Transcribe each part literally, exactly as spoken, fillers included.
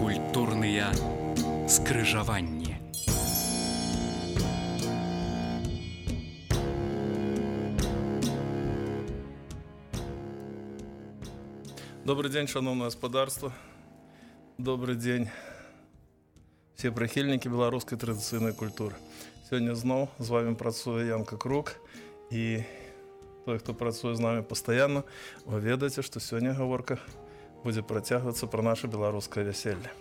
Культурныя скрыжаванні. Добрый день, шановное господарство. Добрый день, все прихильники белорусской традиционной культуры. Сегодня зноў з вами працуе Янка Крук, и той, хто працуе з нами постоянно, вы ведаеце, што сёння гаворка будзе працягвацца пра наша беларускае вяселле.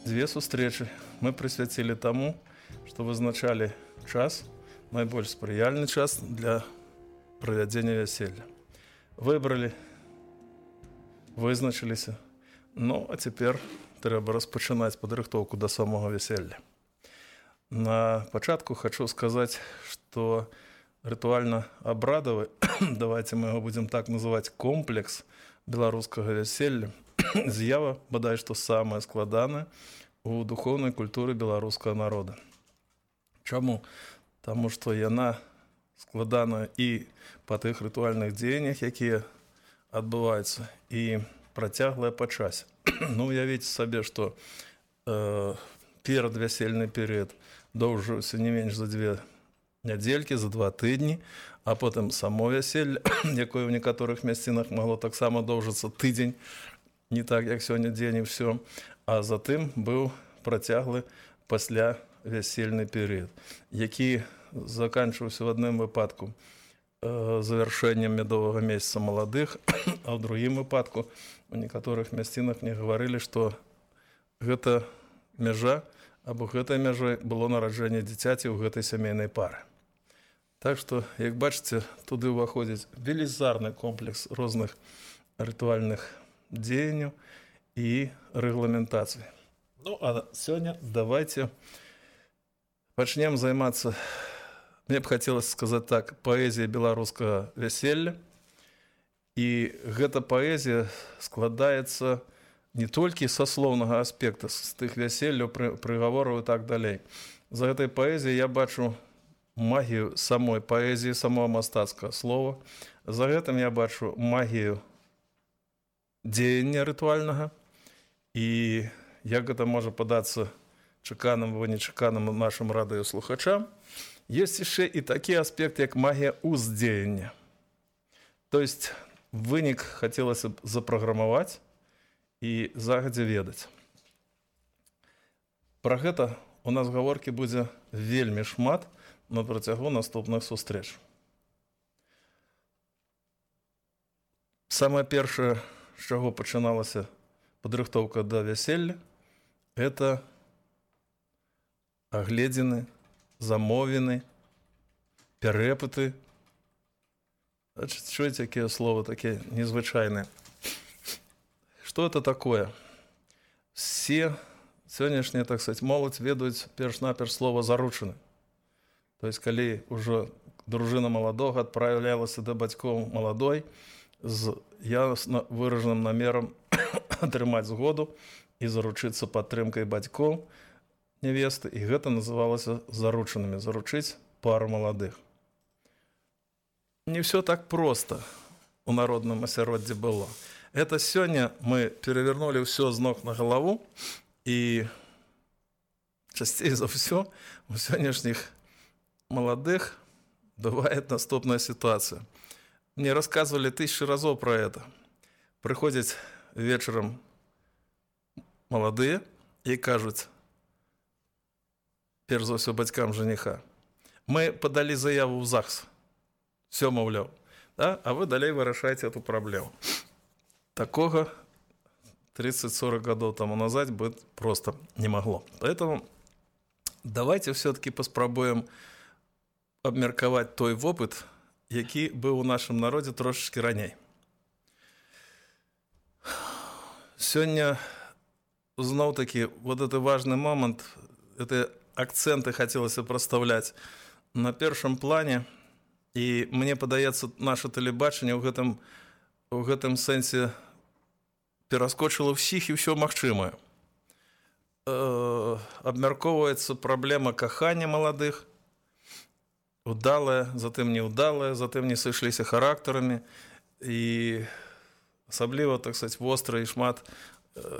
Дзве сустрэчы мы прысвяцілі таму, што вызначалі час, найбольш спрыяльны час для правядзення вяселля. Выбралі, вызначыліся, ну а цяпер трэба распачынаць падрыхтоўку да самога вяселля. На пачатку хочу сказаць, што рытуальна-абрадавы, давайте мы его будем так называть, комплекс беларускага вяселля, з'ява, бадай што самая складаная у духовнай культуры беларускага народа. Чаму? Таму што яна складана і па тых рытуальных дзеяннях, якія адбываюцца, і працяглая па часе. Ну, уявіце сабе, што э, перадвясельны перыяд доўжыўся не менш за дзве нядзелькі, за два тыдні, а потым само вяселле, якое ў некаторых мясцінах магло таксама доўжыцца тыдзень, не так, як сёння дзень і ўсё, а затым быў працяглы пасля вясельны перыяд, які заканчваўся в адным выпадку э, завяршэннем медовага месяца маладых, а ў другім выпадку у некаторых мясцінах мне гаварылі, што гэта мяжа, або гэтай мяжой было нараджэнне дзіцяці ў гэтай сямейнай пары. Так што, як бачыце, туды ўваходзіць велізарны комплекс розных рытуальных дзеянняў і рэгламентацый. Ну, а сёння давайте пачнем займацца, мне б хацелася сказаць так, паэзіяй беларускага вяселля. І гэта паэзія складаецца не толькі са слоўнага аспекта, з тых вяселляў, прыгавораў і так далей. За гэтай паэзіяй я бачу магію самой паэзіі, самого мастацкага слова. За гэтым я бачу магію дзеяння рытуальнага. І як гэта можа падацца чаканым або нечаканым нашым радыёслухачам, ёсць яшчэ і такі аспект, як магія ўздзеяння. То есть вынік хацелася б запраграмаваць і загадзя ведаць. Пра гэта у нас гаворкі будзе вельмі шмат на працягу наступных сустрэч. Самае першае, з чаго пачыналася падрыхтоўка да вяселля, это агледзіны, замовіны, перэпыты. Чуеце, якія словы такія незвычайныя? Што это такое? Все сённяшнія, так сказать, моладзь ведаюць перш-наперш слова «заручаны». То есть, калі ўжо дружына маладога адпраўлялася да бацькоў маладой з ясна выражаным намерам атрымаць згоду і заручыцца падтрымкай бацькоў нявесты, і гэта называлася заручанымі, заручыць пару маладых. Не все так просто у народным асяроддзі было. Это сёння мы перавернули ўсё з ног на галаву, і часцей за ўсё у сённяшніх маладых бывает наступная ситуация. Мне рассказывали тысячи разов про это. Приходят вечером молодые и кажут, перш за ўсё бацькам жениха, мы подали заяву в ЗАГС, все, маўляў, да? А вы далей вырашаеце эту проблему. Такого тридцать-сорок годов тому назад быть просто не могло. Поэтому давайте все-таки паспрабуем абмеркаваць той вопыт, які быў у нашым народзе трошачкі раней. Сёння зноў-таки вот этот важный момент, это акценты хотелось проставлять на першым плане, і мне падаецца, наше тэлебачанне ў гэтым, у гэтым сэнсе пераскочыла ўсіх і ўсё магчымае. Э, абмяркоўваецца праблема кахання маладых, удалая, затым неудалая, затым не сышліся характарамі, і асабліва, так сказать, востра і шмат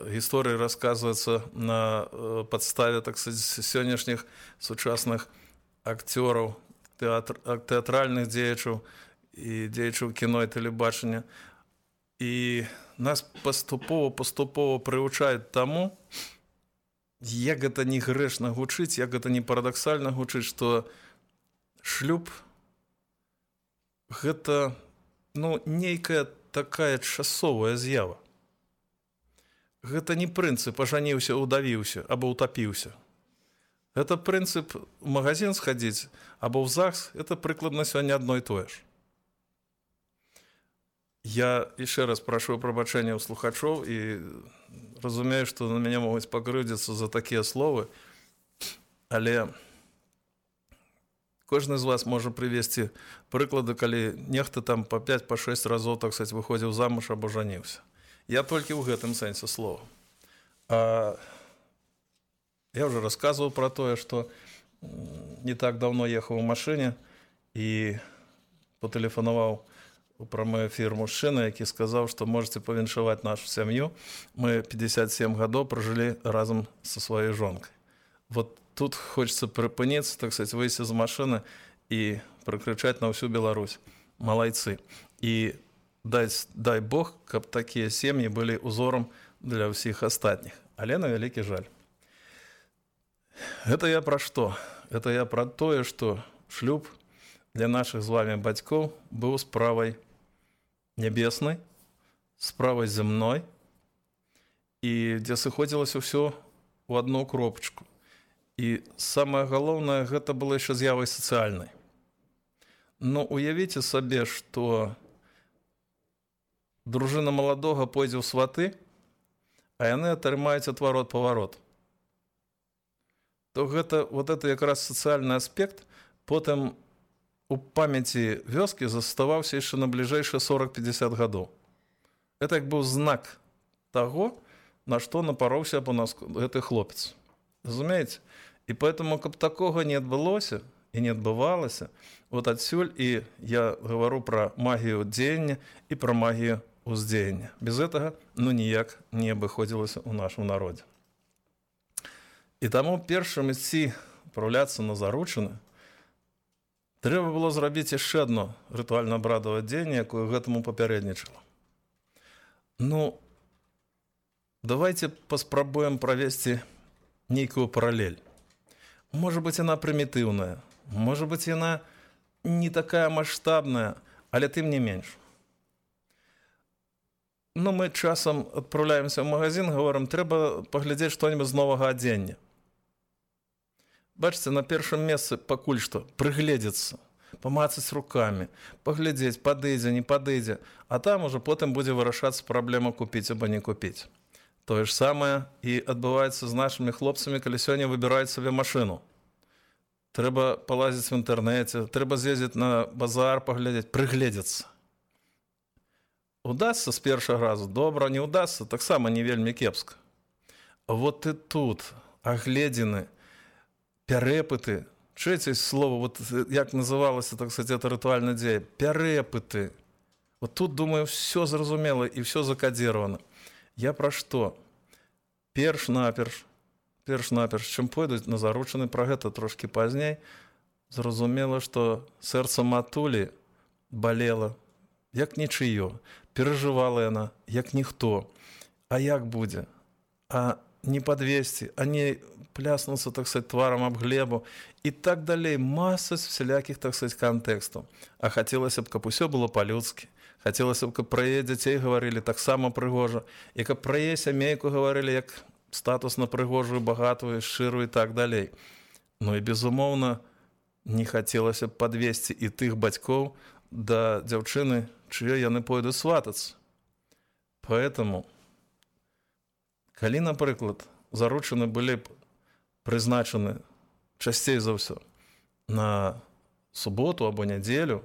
гісторыі расказваецца на падставе, так сказать, сённяшніх сучасных акцёраў, тэатр, тэатральных дзеячаў і дзеячаў кіно і тэлебачання. І нас паступова паступова прывучаюць таму, як гэта не грэшна гучыць, як гэта не парадаксальна гучыць, што шлюб гэта, ну, нейкая такая часовая з'ява. Гэта не прынцып ажаніўся, удавіўся або утапіўся. Гэта прынцып у магазин схадзіць або ў ЗАГС, это прыкладна сёння адно і тое ж. Я яшчэ раз прашу прабачэння ў слухачоў і разумею, што на мяне могуць пакрыўдзіцца за такія словы, але кожны з вас можа прывесці прыклады, калі нехта там па пяць па шэсць разоў, так сказать, выходзіў замуж або жаніўся. Я толькі ў гэтым сэнсе слова. А я ўжо расказваў пра тое, што не так даўно ехаў у машыне і патэлефанаваў у прамы эфір мужчына, які сказаў, што можете павіншаваць нашу сям'ю. Мы пятьдесят семь гадоў пражылі разам са сваёй жонкай. Вот тут хочется прыпыніцца, так сказать, выйсці з машыны і прыкрычаць на ўсю Беларусь. Малайцы. І дай, дай Бог, каб такія сем'і былі узорам для ўсіх астатніх. Але на вялікі жаль. Гэта я пра што? Это я пра тое, што шлюб для нашых з вами бацькоў быў справай нябеснай, справай зямной, і дзе сыходзілася ўсё ў адну кропачку. І самае галоўнае, гэта было яшчэ з'явай сацыяльнай. Ну, уявіце сабе, што дружына маладога пойдзе ў сваты, а яны атрымаюць адварот-паварот. То гэта, вот это якраз сацыяльны аспект, потым у памяці вёскі заставаўся яшчэ на бліжэйшыя сорок-пятьдесят гадоў. Это як быў знак таго, на што напароўся або нас гэты хлопец. Разумееце? І поэтому, каб такога не адбылося і не адбывалася, вот адсюль і я гавару пра магію дзеяння і пра магію ўздзеяння. Без гэтага, ну, ніяк не абыходзілася ў нашым народзе. І таму першым ісці адпраўляцца на заручыны, трэба было зрабіць яшчэ адно рытуальна-абрадавае дзеянне, якое гэтаму папярэднічала. Ну, давайте паспрабуем правесці нейкую паралель. Можа быць, яна прымітыўная, можа быць, яна не такая маштабная, але тым не менш. Ну, мы часам адпраўляемся ў магазин, говорим, трэба паглядзець што-небудзь з новага адзення. Бачыце, на першым месцы пакуль што прыгледзецца, памацаць рукамі, паглядзець, падыдзе, не падыдзе, а там ужо потым будзе вырашацца праблема купіць або не купіць. Тое ж самае і адбываецца з нашымі хлопцамі, калі сёння выбіраюць сабе машыну. Трэба палазіць в інтэрнэце, трэба з'ездзіць на базар, паглядзець, прыгледзецца. Удасца з першага разу? Добра, не удасца, таксама не вельмі кепска. Вот і тут агледзіны, пярэпыты, чуеце слово, вот як называлася, так сказать, это рытуальна дзея, пярэпыты. Вот тут, думаю, все зразумела і все закадзіравана. Я пра што? Перш-наперш, перш-наперш, чым пойдуць на заручыны, пра гэта трошкі пазней, зразумела, што сэрца матулі балела, як нічыё, перажывала яна, як ніхто. А як будзе? А не падвесці, а не пляснуцца, так сказать, тварам аб глебу і так далей. Маса всялякіх, так сказать, кантэкстаў. А хацелася б, каб усё было па-людскі. Хацелася б, каб пра яе дзяцей гаварылі таксама прыгожа, і каб пра яе сямейку гаварылі як статусна прыгожую, багатую, шчырую і так далей. Ну і, безумоўна, не хацелася б падвесці і тых бацькоў да дзяўчыны, чыё яны пойдуць сватацца. Поэтому, калі, напрыклад, заручыны былі б прызначаны часцей за ўсё на суботу або нядзелю,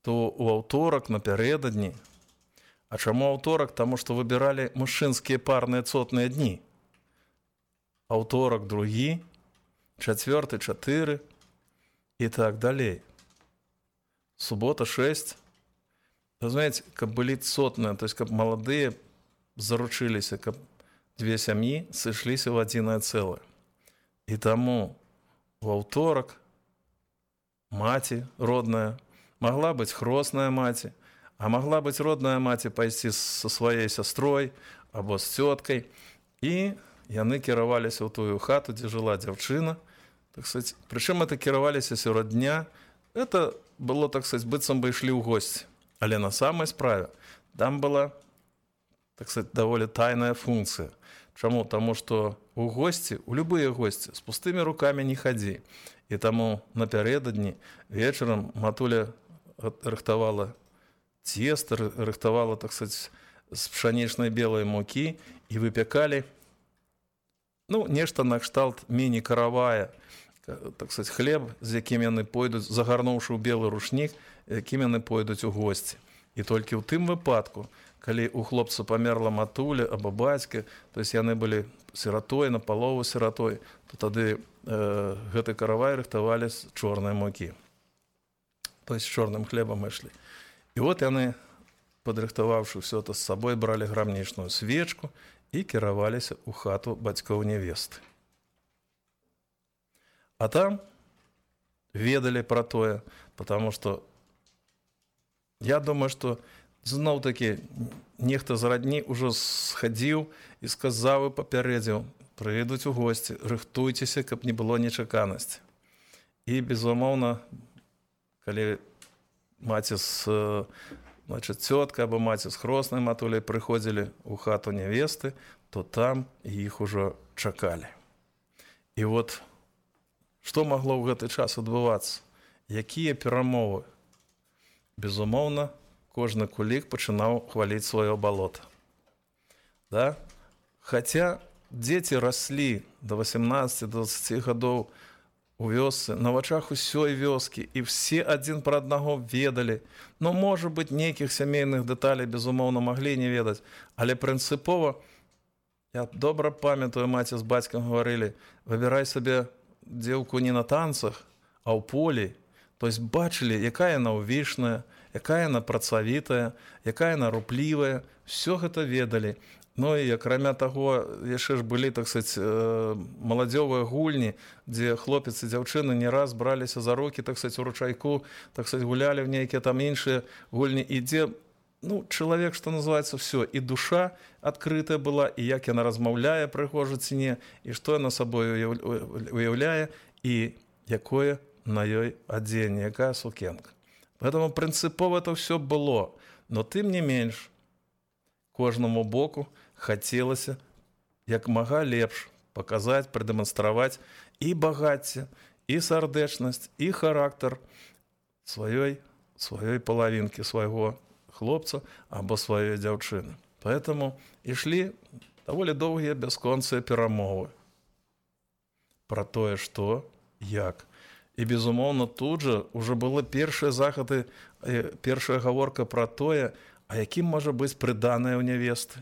то у аўторак напярэдадні. А чаму аўторак? Таму што выбіралі мужчынскія парныя цотныя дні. Аўторак другі, чацвёрты чатыры і так далей. Субота шэсць. Разумееце, каб былі цотныя, то есть каб маладыя заручыліся, каб дзве сям'і сышліся ў адзінае цэлае. І таму у аўторак маці родная магла быць хросная маці, а магла быць родная маці пайсці са сваёй сястрой або з цёткай, і яны кіраваліся ў тую хату, дзе жыла дзяўчына. Так сказать, прычым это кіраваліся сярод дня. Это было, так сказать, быццам бы ішлі ў госці. Але на самай справе там была, так сказать, даволі тайная функцыя. Чаму? Таму што у госці, у любыя госці, з пустымі рукамі не хадзі. І таму напярэдадні вечарам матуля рыхтавала цеста, рыхтавала, так сказать, з пшанічнай белай мукі і выпякалі, ну, нешта накшталт міні-каравая, так сказать, хлеб, з якім яны пойдуць, загарнуўшы ў белы рушнік, якім яны пойдуць у госці. І толькі ў тым выпадку, калі у хлопца памерла матуля або бацька, то есть яны былі сіратой, напалову сіратой, то тады э, гэты каравай рыхтавалі з чорнай мукі. То есть з чорным хлебам ішлі. І от яны, падрыхтаваўшы ўсё это з сабой, бралі грамнічную свечку і кіраваліся ў хату бацькоў нявесты. А там ведалі пра тое, потому што я думаю, што зноў-такі нехта з радні ўжо схадзіў і сказаў і папярэдзіў: прыйдуць у госці, рыхтуйцеся, каб не было нечаканасці. І, безумоўна, калі маці з, значит, цётка або маці з хроснай матуляй прыходзілі ў хату нявесты, то там іх ужо чакалі. І вот што магло ў гэты час адбывацца? Якія перамовы? Безумоўна, кожны кулік пачынаў хваліць сваё балота. Да? Хаця дзеці раслі да васямнаццаці-дваццаці гадоў у вёсцы, на вачах усёй вёскі, і все адзін пра аднаго ведалі. Ну, можа быць, нейкіх сямейных дэталей, безумоўна, маглі не ведаць, але прынцыпова, я добра памятаю, маці з бацькам гаварылі: выбірай сабе дзеўку не на танцах, а ў полі. То есть бачылі, якая яна ўвішная, якая яна працавітая, якая яна руплівая, все гэта ведалі. Ну і акрамя таго, яшчэ ж былі, так сказать, маладзёвыя гульні, дзе хлопец і дзяўчыны не раз браліся за рукі, так сказать, у ручайку, так сказать, гулялі в нейкія там іншыя гульні, і дзе, ну, чалавек, што называецца, все, і душа адкрытая была, і як яна размаўляе прыгожа ці не, і што яна сабой уяўляе, і якое на ёй адзенне, якая сукенка. Поэтому прынцыпова это все было, но тым не менш кожнаму боку хацелася як мага лепш паказаць, прадэманстраваць і багацце, і сардэчнасць, і характар сваёй, сваёй палавінкі, свайго хлопца або сваёй дзяўчыны. Поэтому ішлі даволі доўгія бясконцыя перамовы пра тое, што, як. І, безумоўна, тут жа ўжо было першыя захады, першая гаворка пра тое, а якім можа быць прыданае ў нявесты,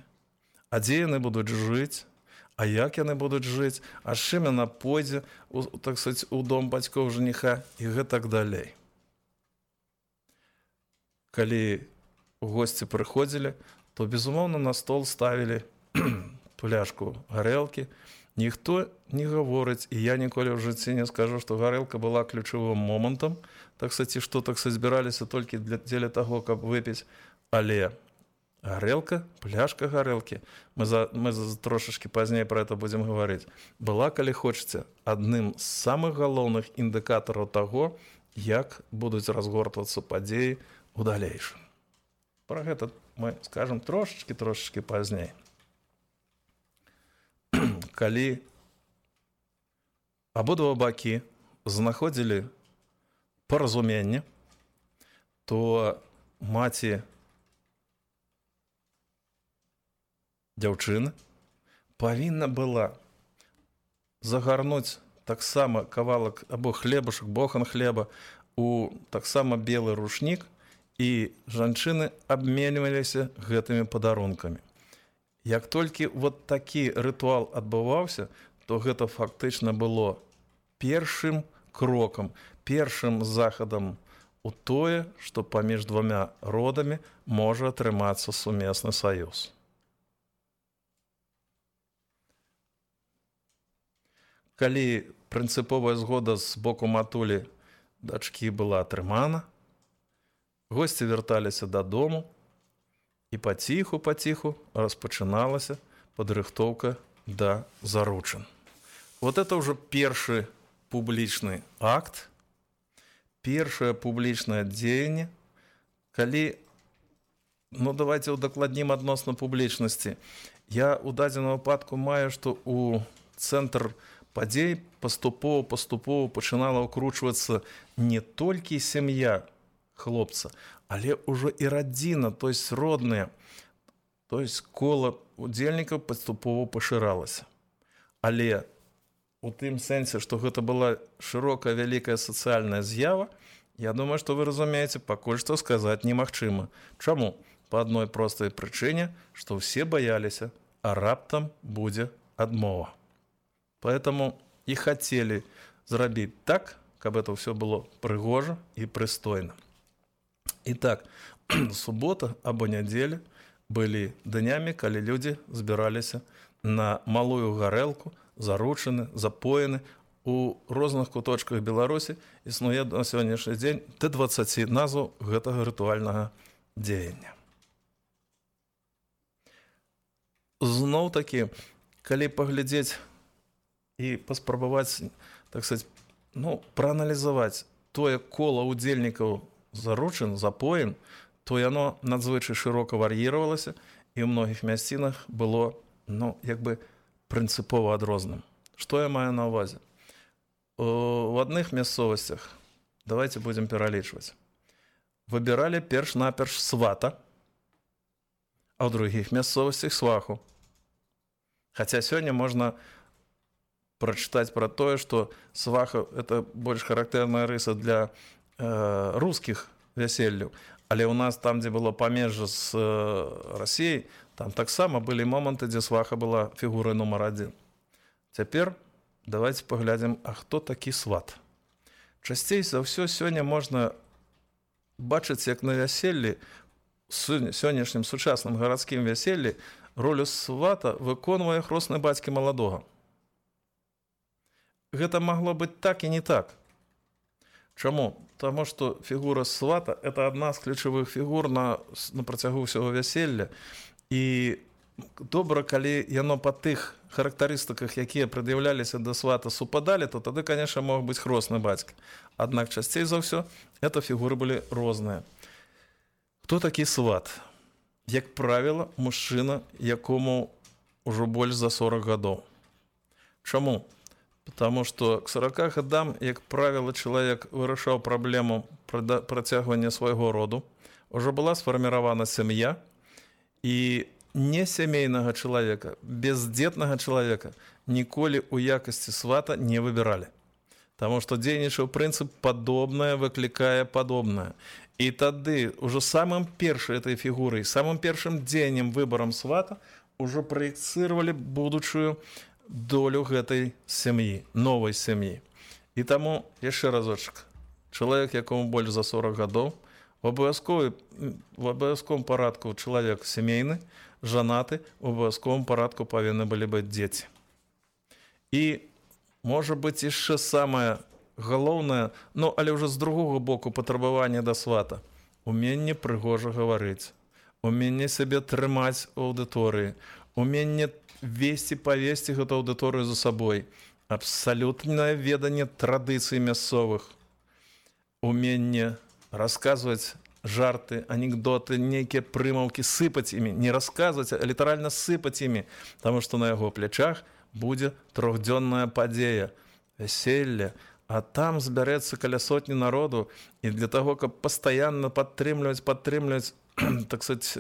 а дзе яны будуць жыць, а як яны будуць жыць, а з чым яна пойдзе, у, так сказать, у дом бацькоў жаніха і гэтак далей. Калі у госці прыходзілі, то, безумоўна, на стол ставілі пляшку гарэлкі. Ніхто не гаворыць, і я ніколі ў жыцці не скажу, што гарэлка была ключавым момантам, так сказать, што, так сказать, збіраліся толькі для, дзеля таго, каб выпіць. Але гарэлка, пляшка гарэлкі, мы, за, мы за, трошачкі пазней пра гэта будзем гаварыць, была, калі хочаце, адным з самых галоўных індыкатараў таго, як будуць разгортвацца падзеі ў далейшым. Пра гэта мы скажам трошачкі-трошачкі пазней. Калі абодва бакі знаходзілі паразуменне, то маці дзяўчыны павінна была загарнуць таксама кавалак або хлебушак, бохан хлеба у таксама белы рушнік, і жанчыны абменьваліся гэтымі падарункамі. Як толькі вот такі рытуал адбываўся, то гэта фактычна было першым крокам, першым захадам у тое, што паміж двамя родамі можа атрымацца сумесны саюз. калі прынцыповая згода з боку матулі дачкі была атрымана, госці вярталіся дадому, і паціху-паціху распачыналася падрыхтоўка да заручын. Вот это ўжо першы публічны акт, першае публічнае дзеянне, калі, ну давайте удакладнім адносна публічнасці. Я ў дадзеным выпадку маю, што ў цэнтр падзей паступова-паступова пачынала ўкручвацца не толькі сям'я хлопца, але ўжо і радзіна, то есть родныя, то есть кола удзельнікаў паступова пашыралася. Але у тым сэнсе, што гэта была шырокая вялікая сацыяльная з'ява, я думаю, што вы разумееце, пакуль што сказаць немагчыма. Чаму? Па адной простай прычыне, што ўсе баяліся, а раптам будзе адмова. Поэтому і хацелі зрабіць так, каб это ўсё было прыгожа і прыстойна. Итак, субота або нядзеля былі днямі, калі людзі збіраліся на малую гарэлку, заручаны, запоены. У розных куточках Беларусі існуе на сённяшні дзень да дваццаці назваў гэтага рытуальнага дзеяння. Зноў-такі, калі паглядзець і паспрабаваць, так сказаць, ну, прааналізаваць тое кола удзельнікаў заручын, запоін, то яно надзвычай шырока вар'іравалася і ў многіх мясцінах было, ну, як бы прынцыпова адрозным. Што я маю на ўвазе? У адных мясцовасцях, давайте будем пералічваць, выбіралі перш-наперш свата, а ў другіх мясцовасцях сваху. Хаця сёння можна прачытаць пра тое, што сваха – это больш характэрная рыса для э, рускіх вяселляў. Але ў нас там, дзе было памежжа з э, Расіяй, там таксама былі моманты, дзе сваха была фігурай нумар адзін. Цяпер давайте паглядзім, а хто такі сват. Часцей за ўсё сёння можна бачыць, як на вяселлі, сённяшнім сучасным гарадскім вяселлі, ролю свата выконвае хросны бацькі маладога. Гэта магло быць так і не так. Чаму? Таму што фігура свата – это адна з ключавых фігур на, на працягу ўсяго вяселля. І добра, калі яно па тых характарыстыках, якія прад'яўляліся да свата, супадалі, то тады, конечно, мог быць хросны бацька. Аднак часцей за ўсё это фігуры былі розныя. Хто такі сват? Як правіла, мужчына, якому ўжо больш за сорок гадоў. Чаму? Потому что к сорока годам, як правило, чалавек вырашаў праблему працягвання свайго роду, уже была сфарміравана сям'я, і несямейнага чалавека, бездзетнага чалавека ніколі ў якасці свата не выбіралі. Таму што дзейнічаў прынцып падобнае выклікае падобнае. І тады ўжо самым першай этой фігурай, самым першым дзеяннем выбарам свата ўжо праекцыравалі будучую долю гэтай сям'і, новай сям'і. І таму, яшчэ разочак, чалавек, якому больш за сорок гадоў, в абавязковым парадку чалавек сямейны, жанаты, в абавязковым парадку павінны былі быць дзеці. І, можа быць, яшчэ самае галоўнае, ну, але ўжо з другога боку патрабавання да свата, уменне прыгожа гаварыць, уменне сябе трымаць у аўдыторыі, уменне весці, павесці гэту аўдыторыю за сабой, абсалютнае веданне традыцый мясцовых, уменне расказваць жарты, анекдоты, нейкія прымаўкі, сыпаць імі, не расказваць, а літаральна сыпаць імі, таму што на яго плячах будзе трохдзённая падзея, вяселле, а там збярэцца каля сотні народу, і для таго, каб пастаянна падтрымліваць, падтрымліваць, так сказаць,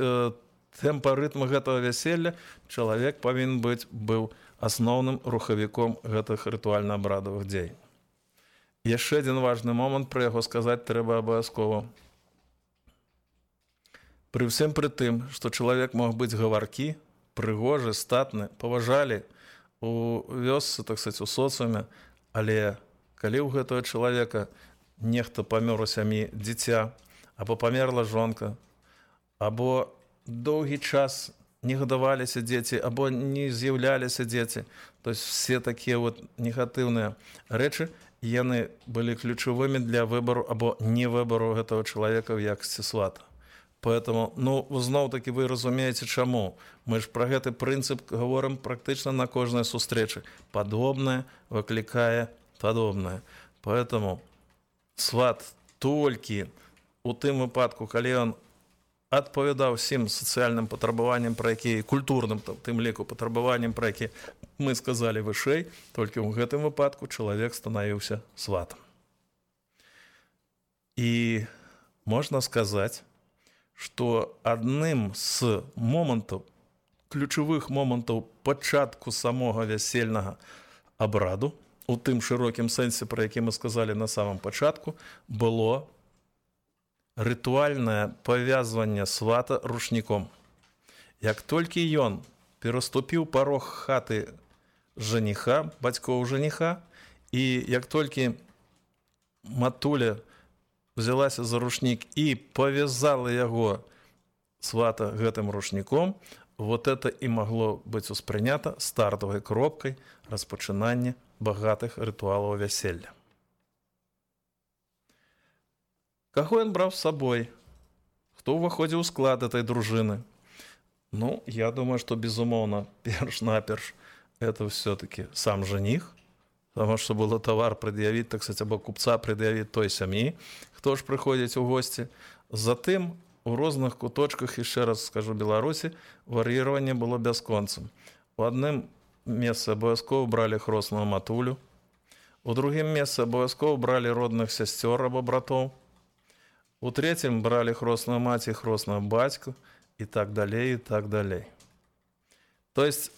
тэмпа рытма гэтага вяселля, чалавек павінен быць быў асноўным рухавіком гэтых рытуальна-абрадавых дзеянь. Яшчэ адзін важны момант, пра яго сказаць трэба абавязкова. Пры ўсім пры тым, што чалавек мог быць гаваркі, прыгожы, статны, паважалі у вёсцы, так сказаць, у соцыуме, але калі ў гэтага чалавека нехта памёр у сям'і дзіця, або памерла жонка, або доўгі час не гадаваліся дзеці або не з'яўляліся дзеці. То есть все такія вот негатыўныя рэчы, яны былі ключавымі для выбару або не выбару гэтага чалавека ў якасці свата. Поэтому, ну, зноў-такі вы разумееце, чаму. Мы ж пра гэты прынцып гаворым практычна на кожнай сустрэчы. Падобнае выклікае падобнае. Поэтому сват толькі у тым выпадку, калі ён адпавядаў усім сацыяльным патрабаванням, пра якія, культурным, тым ліку патрабаванням, пра які мы сказалі вышэй, толькі ў гэтым выпадку чалавек станавіўся сватам. І можна сказаць, што адным з момантаў, ключавых момантаў пачатку самога вясельнага абраду, у тым шырокім сэнсе, пра які мы сказалі на самым пачатку, было рытуальнае павязванне свата рушніком. Як толькі ён пераступіў парог хаты жаніха, бацькоў жаніха, і як толькі матуля взялася за рушнік і павязала яго свата гэтым рушніком, вот это і магло быць успрынята стартавай кропкай распачынання багатых рытуалаў вяселля. Каго ён браў з сабой? Хто ўваходзіў у склад этой дружыны? Ну, я думаю, што, безумоўна, перш-наперш, это все-таки сам жаніх, потому что было товар предъявить, так сказать, або купца предъявить той сям'і, хто ж прыходзіць у госці. Затым у розных куточках, яшчэ раз скажу, Беларусі вар'іраванне было бясконцым. У адным месцы абавязкова бралі хросную матулю, у другім месцы абавязкова бралі родных сясцёр або братоў, у трэцім бралі хросную маці, хросную бацьку і так далей, і так далей. То есть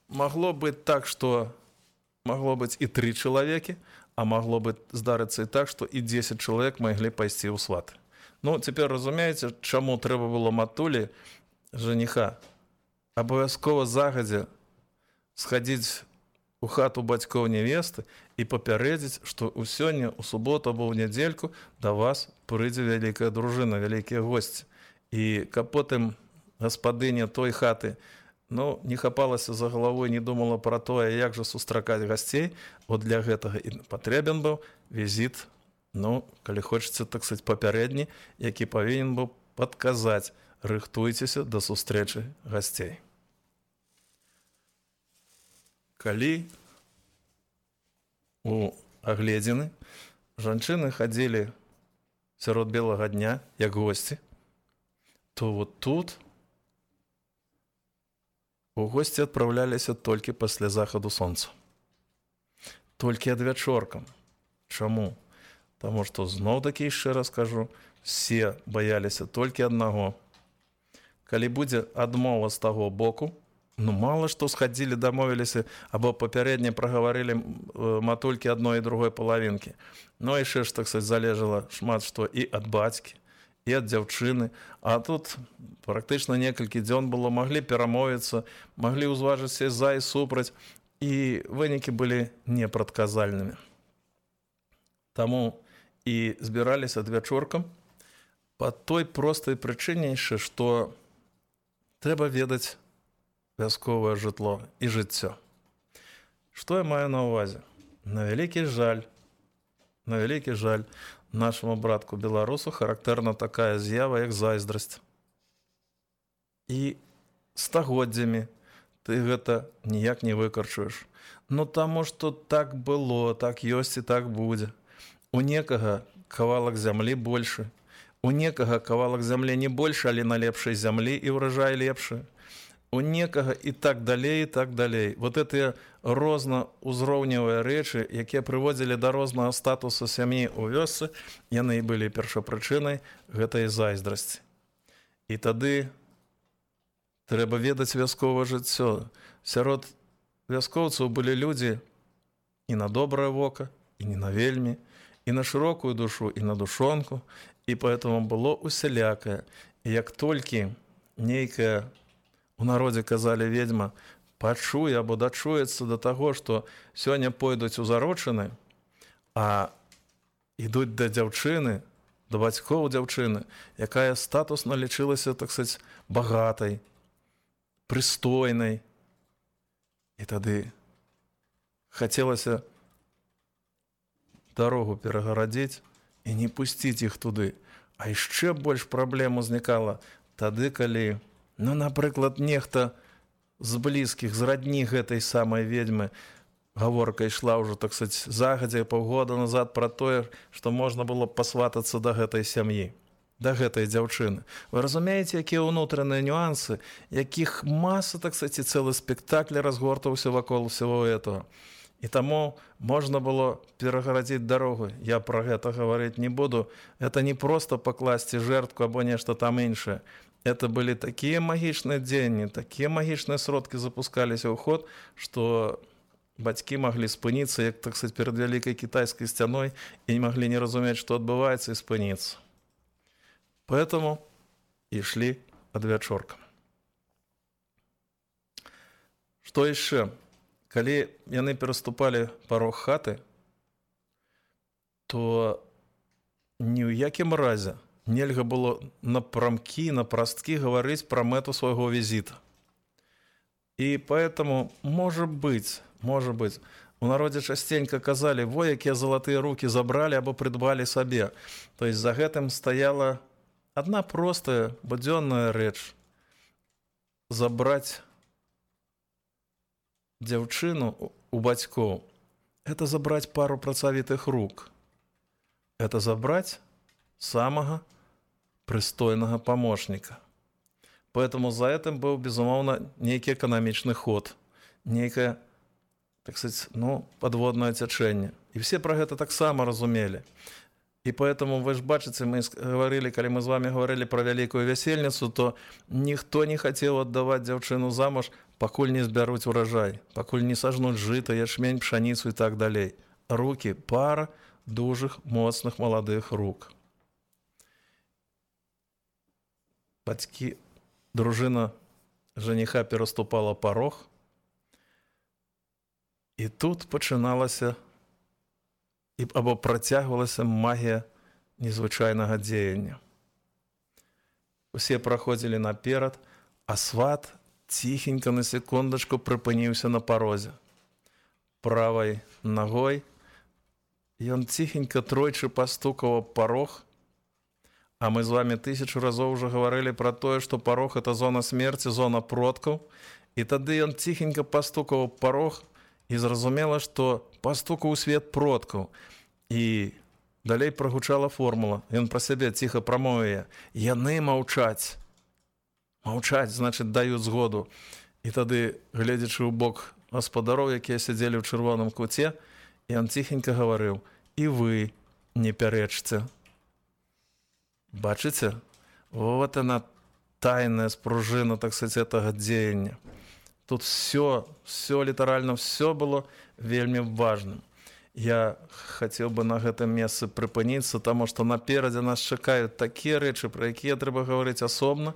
магло быць так, што магло быць і тры чалавекі, а магло быць здарыцца і так, што і дзесяць чалавек маглі пайсці ў сваты. Ну, цяпер разумееце, чаму трэба было матулі жаніха абавязкова загадзя схадзіць у хату бацькоў нявесты і папярэдзіць, што ў сёння, у суботу або ў нядзельку да вас прыйдзе вялікая дружына, вялікія госці. І каб потым гаспадыня той хаты, ну, не хапалася за галавой, не думала пра тое, як жа сустракаць гасцей, от для гэтага і патрэбен быў візіт, ну, калі хочаце, так сказаць, папярэдні, які павінен быў падказаць, рыхтуйцеся да сустрэчы гасцей. Калі у агледзіны жанчыны хадзілі сярод белага дня, як госці, то вот тут у госці адпраўляліся толькі пасля захаду сонца. Толькі адвячоркам. Чаму? Таму што зноў-такі, яшчэ раз кажу, все баяліся толькі аднаго. Калі будзе адмова з таго боку, ну, мала што схадзілі, дамовіліся, або папярэдне прагаварылі матулькі адной і другой палавінкі. Ну, яшчэ ж, так сказаць, залежала шмат што і ад бацькі, і ад дзяўчыны. А тут практычна некалькі дзён было, маглі перамовіцца, маглі ўзважыцца за і супраць, і вынікі былі непрадказальнымі. Таму і збіраліся адвячоркам па той простай прычыне яшчэ, што трэба ведаць вясковае жытло і жыццё. Што я маю на ўвазе? На вялікі жаль, на вялікі жаль, нашаму братку беларусу характэрна такая з'ява, як зайздрасць. І стагоддзямі ты гэта ніяк не выкарчуеш. Ну, таму што так было, так ёсць і так будзе. У некага кавалак зямлі большы, у некага кавалак зямлі не большы, але на лепшай зямлі і ўражай лепшы. У некага і так далей, і так далей. Вот гэтыя рознаузроўневыя рэчы, якія прыводзілі да рознага статусу сям'і ў вёсцы, яны і былі першапрычынай гэтай зайздрасці. І тады трэба ведаць вясковае жыццё. Сярод вяскоўцаў былі людзі і на добрае вока, і не на вельмі, і на шырокую душу, і на душонку, і поэтому было усялякае. І як толькі нейкая, у народзе казалі ведьма, пачуе або дачуецца да таго, што сёння пойдуць у зарочыны, а ідуць да дзяўчыны, да бацькоў дзяўчыны, якая статусна лічылася, так сказаць, багатай, прыстойнай. І тады хацелася дарогу перагарадзіць і не пусціць іх туды. А яшчэ больш праблем узнікала тады, калі, ну, напрыклад, нехта з блізкіх, з радні гэтай самай ведьмы, гаворка ішла ўжо, так сказать, загадзя паўгода назад пра тое, што можна было пасватацца да гэтай сям'і, да гэтай дзяўчыны. Вы разумееце, якія ўнутраныя нюансы, якіх маса, так сказать, цэлы спектакль разгортаўся вакол всего этого. І таму можна было перагарадзіць дарогу. Я пра гэта гаварыць не буду. Это не проста пакласці жертву або нешта там іншае. Это былі такія магічныя дзеянні, такія магічныя сродкі запускаліся ў ход, што бацькі маглі спыніцца, як, так сказать, перад вялікай кітайскай сцяной, і не маглі не разумець, што адбываецца, і спыніцца. Поэтому ішлі адвячоркам. Што яшчэ? Калі яны пераступалі парог хаты, то ні ў якім разе нельга было напрамкі, напрасткі гаварыць пра мэту свайго візіта. І поэтому, может быть, может быть, у народзе частенька казалі, во, якія залатыя рукі забралі або прыдбалі сабе. То есть за гэтым стаяла адна простая, будзённая рэч. Забраць дзяўчыну у бацькоў – это забраць пару працавітых рук. Это забраць самага прыстойнага памочніка. Поэтому за этим был, безумоўна, нейкі эканамічны ход, нейкае, так сказать, ну, подводное цячэнне. І все про гэта таксама разумелі. І поэтому, вы ж бачыце, мы говорили, калі мы з вами говорили про вялікую вясельніцу, то ніхто не хацеў аддаваць дзяўчыну замуж, пакуль не збяруць урожай, пакуль не сажнуць жыта, ячмень, пшаніцу і так далей. Рукі, пара дужых, моцных, маладых рук. Бацькі, дружына жаніха пераступала парог, і тут пачыналася або працягвалася магія незвычайнага дзеяння. Усе праходзілі наперад, а сват ціхенька на секундачку прыпыніўся на парозе. Правай нагой ён ціхенька тройчы пастукаў аб парог, а мы з вами тысячу разоў уже гаварылі пра тое, што парог – это зона смерці, зона продкаў, і тады ён ціхенька пастукаў аб парог, і зразумела, што пастукаў у свет продкаў. І далей прагучала формула. Ён пра сябе ціха прамовіе. Яны маўчаць. Маўчаць, значыць, даюць згоду. І тады, гледзячы ў бок гаспадароў, якія сядзелі ў чырвоным куце, ён ціхенька гаварыў: і вы не пярэчце. Бачыце? Вот она, тайная спружына, так сказать, этого дзеяння. Тут все, все літаральна, все было вельмі важным. Я хацеў бы на гэтым месцы прыпыніцца, таму што наперадзе нас чакаюць такія рэчы, пра якія трэба гаварыць асобна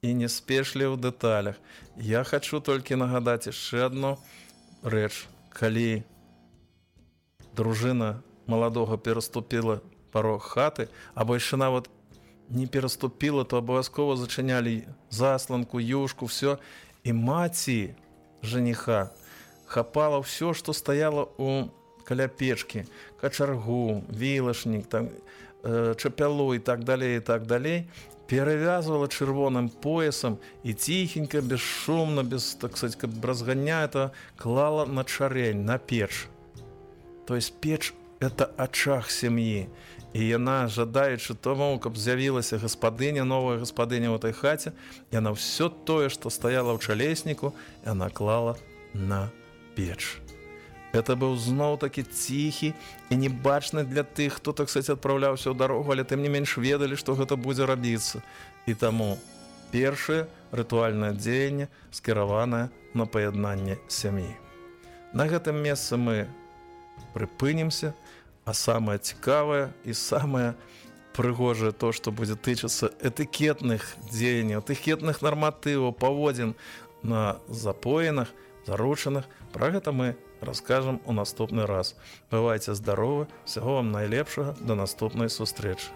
і не спешлі ў дэталях. Я хачу толькі нагадаць яшчэ адну рэч. Калі дружына маладога пераступіла парог хаты, або яшчэ нават не пераступіла, то абавязкова зачынялі засланку, юшку, все. І маці жаніха хапала ўсё, што стаяла у каля печкі, качаргу, вілашнік, там, э, чапялу і так далей, і так далей, перавязвала чырвоным поясам і ціхенька, бесшумна, без, так сказать, каб разганя это, клала на чарень, на печ. То есть печ – это ачах сям'і. І яна, жадаючы тому, каб з'явілася гаспадыня, новая гаспадыня ў этой хаце, яна ўсё тое, што стаяла ў чалесніку, яна клала на печ. Это быў зноў-такі ціхі і небачны для тых, хто, так сказать, адпраўляўся ў дарогу, але тым не менш ведалі, што гэта будзе рабіцца. І таму першае рытуальнае дзеянне скіраванае на паяднанне сям'і. На гэтым месцы мы прыпынімся. А самое цікавае і самае прыгожае то, што будзе тычыцца этыкетных дзеянняў, этыкетных нарматываў, паводзін на запоенах, заручаных. Пра гэта мы раскажам у наступны раз. Бывайце здаровы, усяго вам найлепшага, да наступнай сустрэчы.